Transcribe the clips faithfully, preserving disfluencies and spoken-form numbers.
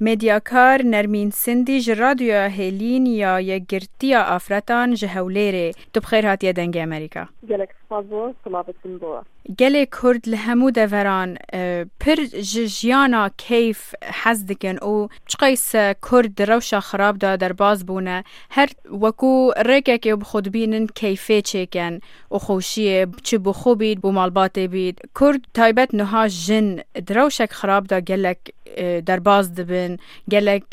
Medyakar Nermîn Sindî ji Radyoya Hêlîn ya Yekgirtiya Afretan ji Hewlêrê. Tu bi xêr hatiye Dengê Amerîka. Gelek spas bo, silavê din bo. Gelê Kurd li hemû deveran, e, pir ji jiyana keyf hez dikin û çiqayse Kurd di rewşa xirab de derbas bûne, her wekû rêkekê bi xwe dibînin keyfê çêken û xweşiyê, çi bo xwe bît, bo malbatê bît. Kurd taybet niha jin di rewşek xirab de gelek, e, derbas dibin, gelek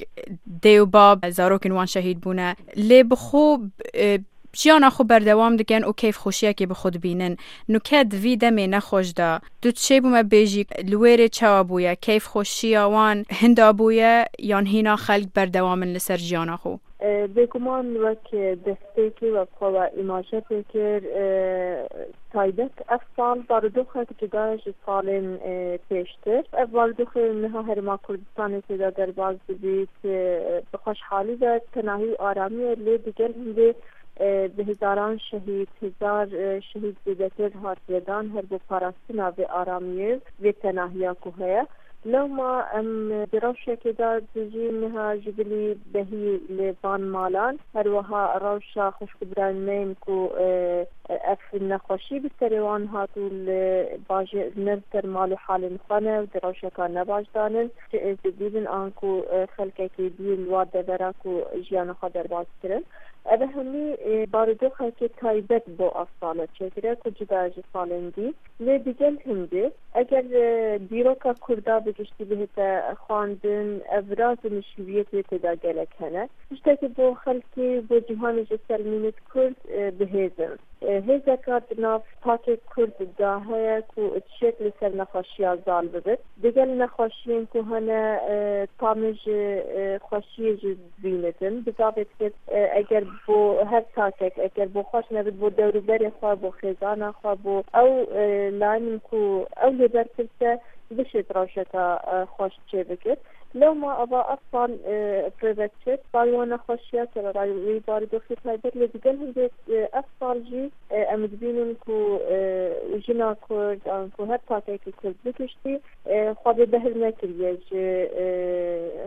dê û bab zarokên wan şehîd bûne. Lê bi xwe, e, jiyana xwe berdewam dikin û keyfxweşiyekê bi xwe dibînin. Nuke di vî demê nexweş de, tu çêbû me bêjî, li wê rê çawa bûye? Keyfxweşiya wan hinda bûye yan hîna xelk berdewam in li ser jiyana xwe? E, bêguman wek destpêkê, wek xwe we îmaje pê kir, e, taybet ev sal barodoxek cuda ji salên, e, pêştir. Ev barodoxê niha Herêma Kurdistanê tê de derbas dibît, e, bi xweşhalî ve tenahî û aramiyê, lê digel hindê, e, bi hezaran şehîd, hezar, e, şehîd zêdetir hatiye dan her bo parastina vê aramiyê, vê tenahiya ku heye. Lewma em di rewşekê de dijîn, niha ji bilî behî li van malan, her wiha rewşa xwişk û birayên me yên ku, e, ev nexweşî bi serê wan hat û li bajê-, ne li ser mal û halên xwe ne û di rewşeka nebaş de ne, çi êzidî bin an ku, e, xelkekî dî li wa devera ku jiyana xwe derbas kirin. Ev hemî, e, barodoxekê taybet bo ev sal e çêkire ku cuda ji salên dî. Lê digel hindê, eger, e, dîroka Kurda bi giştî bihête xwendin, ev viraz û nişîbiyetê tê de gelek hene. Tiştekî bo xelkê, bo cîhanê ji ser mînit Kurd, e, bi hêz in. E, hêzeka di nav takê Kurd de heye ku tiştek li ser nexweşiya zal bibit. Digel nexweşiyên ku hene, e, tamê ji, e, xweşiyê jî dibînitin. Bi zavê dikir, e, eger bo her takek, eger bo xweş nebit, bo dewrûberê xwe, bo xêzana xwe, bo ew, e, layinên ku ew lê berpirs e, bişêt rewşeka, e, xweş çêbikit. Lewma ava ev sal, e, pêve çêt, salê wan nexweşiya, sererayê wî barodoxê taybet, lê digel hindê, e, ev sal jî, e, em dibînin ku, e, jina Kurd, an ku her takekî Kurd bi giştî, e, xwe bê behr nekiriye ji, e,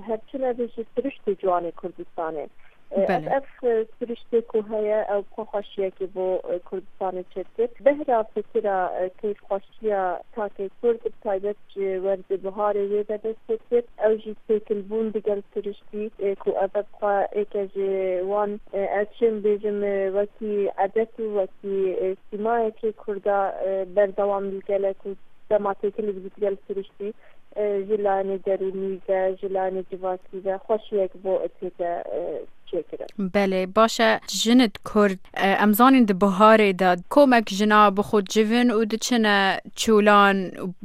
her çi nebe ji siriştê ciwanê Kurdistanê. E, ev, Belê. ev, e, siriştê ku heye, ew xwe xweşiyekê bo, e, Kurdistanê çêdikir. Behra fikira, e, keyfxweşiya takê Kurd, bi taybet ji werzê biharê wê ve dest pê dikir. Ew jî têkilbûn digel siriştî, e, ku ev bi xwe êke ji wan, e, ez çi bêjim, e, wekî edet û wekî, e, sîmayekê Kurda, e, berdewam li gelek û dema têkilî dibît gel siriştî, e, ji layinê derûnî ve, ji layinê civakî ve xweşiyek bo têke, e, çêkirin. Belê, baş e. Jinid Kurd, e, em zanîn di biharê de komek jina bi xwe civin û diçine çûlan,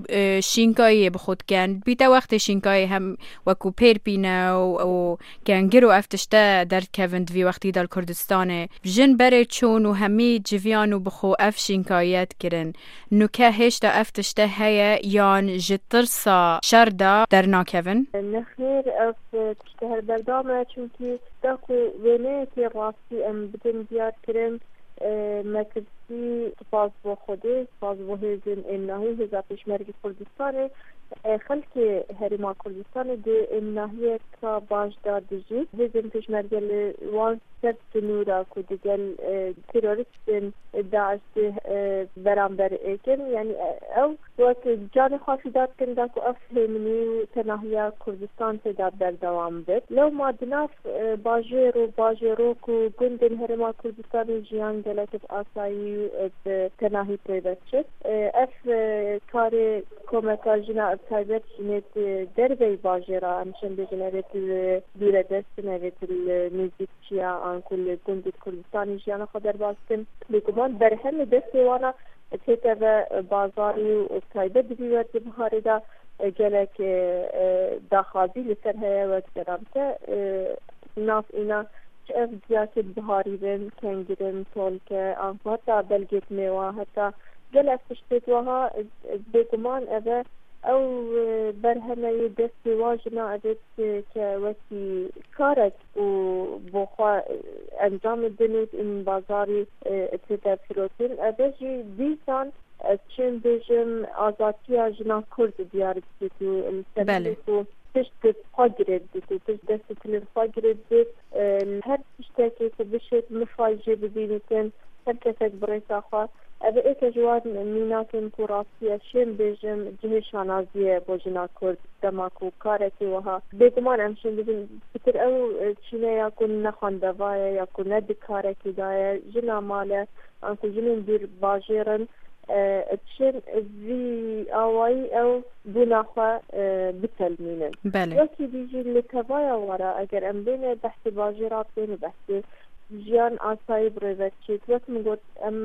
e, şînkayiyê bi xwe dikin. Bîte wextê şînkayê hem wekû pêr pîne û, û kengir û ev tişte derdikevin di vî wextî de li Kurdistanê. Jin berê çûn û hemî civiyan û bi xwe ev şînkayiye dikirin. Nuke hêşta ev tişte heye yan ji tirsa şer de dernakevin? Nexêr, ev tişte her berdam e, çimkî da ku wêneyekê rastî em bidin diyar kirin, e, me tirsî, spas bo Xwedê, spas bo hêzên êmnahî, hêza Pêşmergê Kurdistanê, e, xelkê Herêma Kurdistanê di êmnahiyeka baş de dijî. Hêzên Pêşmerge li wan ser sinûra ku digel, e, terorîstên DAIŞ dê, e, beramber êkin. Yanî, e, ew wek canê xwe fîda dikin da ku ev hêminî û tenahiya Kurdistan tê de berdewam bit. Lewma di nav, e, bajêr û bajêrok û gundên Herêma Kurdistanê jiyan gelek bi asayî û, e, bi tenahî pê ve çêt. E, ev, e, karê komeka jina, bi taybet jinê di derveyî bajêra, em şên bêjin, evê di dûre dest in, evê di li nêzîk çiya, anku li gundê Kurdistanê jiyana xwe derbas dikin. Bêguman berhemê destê wana tête ve bazarî û taybet di vî werdê biharê de gelek, e, e, daxwazî li ser heye, wek deramte, e, nav îna çi ev diyakê biharî bin, kengirin, tolke, anku heta belgê mêwa, heta gelek tiştê wiha, e, e, bêguman ev e, ew, e, berhemeyê destê wa jina, ev ê ke wekî karek û bo xwe, e, encam din û in bazarî, e, tê de firotin. Ev ê jî dîsan, ez çi bêjim, azatiya jina Kurd diyar dikit û li ser Belê. Ku tişt xwe girêd bit û pişt dest û tilên xwe girêd bit. E, li her tiştekê ku bişêt mifay jê bibînitin, her kesek bi rêka xwe. Ev êke ji wan mînakin ku rastiya şên bêjim cihê şanaziyê bo jina Kurd dema ku karekî wiha. Bêguman em şên bibin pitir ew, e, çîne ya ku ne xwendeva ye ya ku ne di karekî de ye. Jina male, an ku jinên dûr bajêr in, e, çin vî awayî ew bûna xwe, e, bitelmînin. Belê. Wekî dî jî li tevaya wara eger em bêne behsê bajêra bikên û behsê jiyan asayî bi rê ve diçêt. Wek min got, em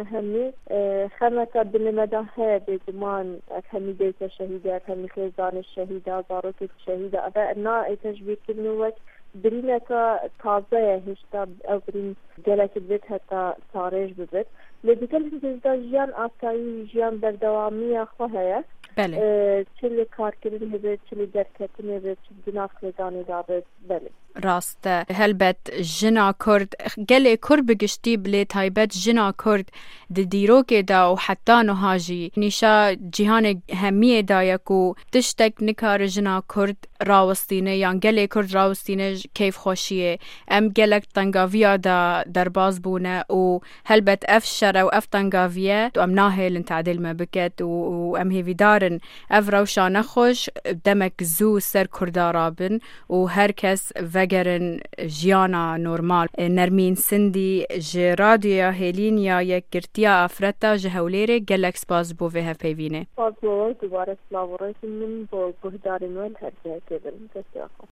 hemî, e, xemeka dilê me de heye bêguman. Ev hemî dayike şehîd e, ev hemî xêzanê şehîda, zarokê şehîda. Ev e, na êke ji bîrkirin û wek birîneka taze ye, hêşta ew birîn gelekî divêt heta tarêj bibit. Lê di gel hindê de jiyan asayî, jiyan berdewamiya xwe heye. Belê. E, çi li karkirinê be, çi li derketinê be, çi di nav xêzanê de be. Belê. Rast e. Helbet jina Kurd, gelê Kurd bi giştî, bilê taybet jina Kurd di dîrokê de û heta niha jî nîşa cîhanê hemiyê daye ku tiştek nikare jina Kurd rawestîne yan gelê Kurd rawestîne ji keyfxweşiyê. Em gelek tengaviya de derbas bûne û helbet ev şer ew ev tengaviye em nahêlin tadêl me biket û, û em hêvîdar in ev rewşa nexweş demek zû ser Kurda rabin û her kes vegerin jiyana normal. Nermîn Sindî ji Radyoya Hêlîn ya Yekgirtiya Afreta ji Hewlêrê, gelek spas bo vê hevpeyvînê. Spas bo we, dubare silav û rêzên min bo guhdarên we li her cihekê bin. Destê xwe.